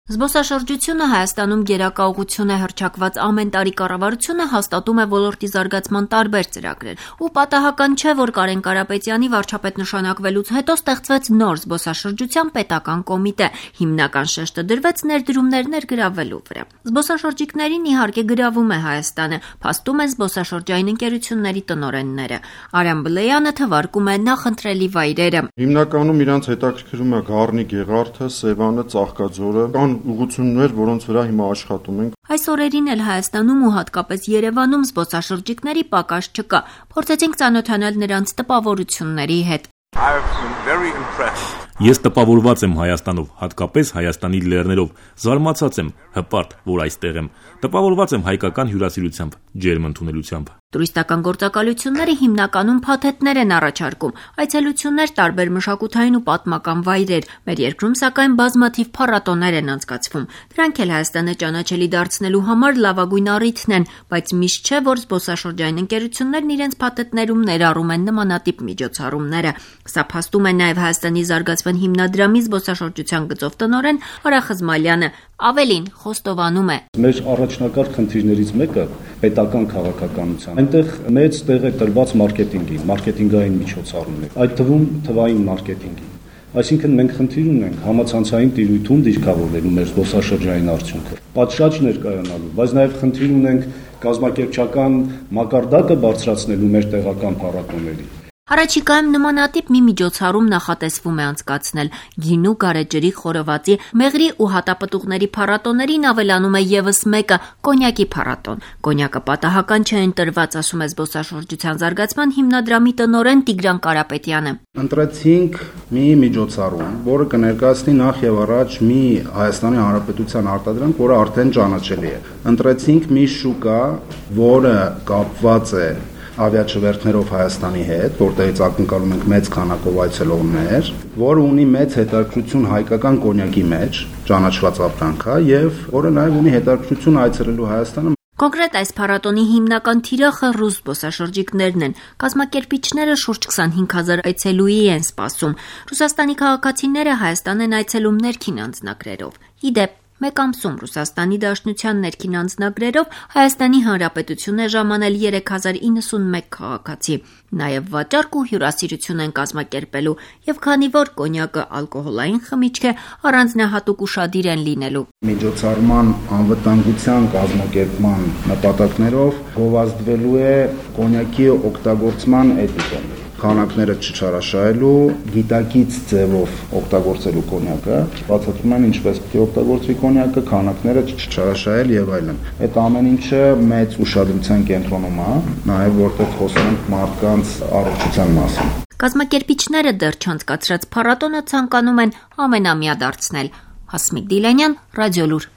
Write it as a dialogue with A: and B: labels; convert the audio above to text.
A: Զբոսաշրջությունը Հայաստանում գերակա ուղղություն է հռչակված ամեն տարի կառավարությունը հաստատում է ոլորտի զարգացման տարբեր ծրագրեր ու պատահական չէ, որ Կարեն Կարապետյանի վարչապետ նշանակվելուց հետո ստեղծվեց նոր զբոսաշրջության պետական կոմիտե, հիմնական շեշտը դրվեց ներդրումներ ներգրավելու վրա։ Զբոսաշրջիկներին իհարկե գրավում է Հայաստանը, փաստում են զբոսաշրջային ընկերությունների տնօրենները։ Արամ Բլեյանը թվարկում է նախընտրելի վայրերը։
B: Հիմնականում իրանց հետաքրքրում է Գառնի Գեղարդը, Սևանը, Ծաղկաձորը, ուղղություններ, որոնց վրա հիմա աշխատում ենք։
A: Այս օրերին էլ Հայաստանում ու հատկապես Երևանում զբոսաշրջիկների պակաս չկա։ Փորձեցինք ծանոթանալ նրանց տպավորությունների հետ։
C: Ես տպավորված եմ Հայաստանով, հատկապես Հայաստանի լեռներով, զարմացած եմ, հպարտ, որ այստեղ եմ, տպավորված եմ հայկական հյուրասիրությամբ, ջերմ ընդունելությամբ։
A: Տուրիստական գործակալությունները հիմնականում փաթեթներ են առաջարկում, այցելություններ տարբեր մշակութային ու պատմական վայրեր, մեր երկրում սակայն բազմաթիվ փառատոներ են անցկացվում։ Դրանք էլ Հայաստանը ճանաչելի դարձնելու համար լավագույն առիթն են, բայց միշտ չէ, որ զբոսաշրջային ընկերություններն իրենց փաթեթներում ներառում են նմանատիպ միջոցառումները։ Սա փաստում է նաև Հայաստանի զարգացման հիմնադրամի զբոսաշրջության գծով տնօրեն Արա Խզմալյանը, ավելին խոստովանում է։
D: Մեր առաջնակարգ խնդիրներից մեկը պետական քաղաքականության։ Այնտեղ մեծ տեղ է տրված մարքեթինգային միջոցառումներ, այդ թվում թվային մարքեթինգի։ Այսինքն մենք խնդիր ունենք համացանցային տիրույթում դիրքավորելու մեր զբոսաշրջային արդյունքը։ Պատշաճ ներկայանալու, բայց նաև խնդիր ունենք կազմակերպչական մակարդակը բարձրացնելու մեր տեղական փառատոների։
A: Առաջիկայում նմանատիպ մի միջոցառում նախատեսվում է անցկացնել։ Գինու, գարեջրի, խորովածի, մեղրի ու հատապտուղների փառատոներին ավելանում է եւս մեկը՝ կոնյակի փառատոն։ Կոնյակը պատահական չէ ընտրված, ասում է զբոսաշրջության զարգացման հիմնադրամի տնօրեն Տիգրան Կարապետյանը։
E: Ընտրեցինք մի միջոցառում, որը կներկայացնի նախ եւ առաջ մի Հայաստանի Հանրապետության արտադրանք, որը արդեն ճանաչելի է։ Ընտրեցինք մի շուկա, որը կապված է ավիաչվերթներով Հայաստանի հետ, որտեղից ակնկալում ենք մեծ քանակով այցելողներ, որը ունի մեծ հետաքրքրություն հայկական կոնյակի մեջ, ճանաչված ապրանք է, եւ որը նաեւ ունի հետաքրքրություն այցելելու Հայաստանը։
A: Կոնկրետ այս փառատոնի հիմնական թիրախը ռուս զբոսաշրջիկներն են։ Կազմակերպիչները շուրջ 25,000 այցելուի են սպասում։ Ռուսաստանի քաղաքացիները Հայաստան են այցելում ներքին անձնագրերով։ Իդեպ մեկ ամսում Ռուսաստանի Դաշնության ներքին անձնագրերով Հայաստանի Հանրապետություն է ժամանել 3091 քաղաքացի։ Նաև վաճառք ու հյուրասիրություն են կազմակերպելու, եւ քանի որ կոնյակը ալկոհոլային խմիչք է, առանձնահատուկ ուշադիր են լինելու։
E: Միջոցառման անվտանգության կազմակերպման նպատակներով գովազդվելու է կոնյակի օգտագործման էթիկան։ Քանակները չչարաշահելու, գիտակից ձևով օգտագործելու կոնյակը, բացատրում են ինչպես պետք է օգտագործվի կոնյակը, քանակները չչարաշահել եւ այլն։ Այդ ամեն ինչը մեծ ուշադրության կենտրոնում է, նաեւ որտեղ խոսում ենք մարդկանց առողջության մասին։
A: Կազմակերպիչները դեռ չանցկացրած փառատոնը ցանկանում են ամենամյա դարձնել։ Հասմիկ Դիլանյան, Ռադիոլուր։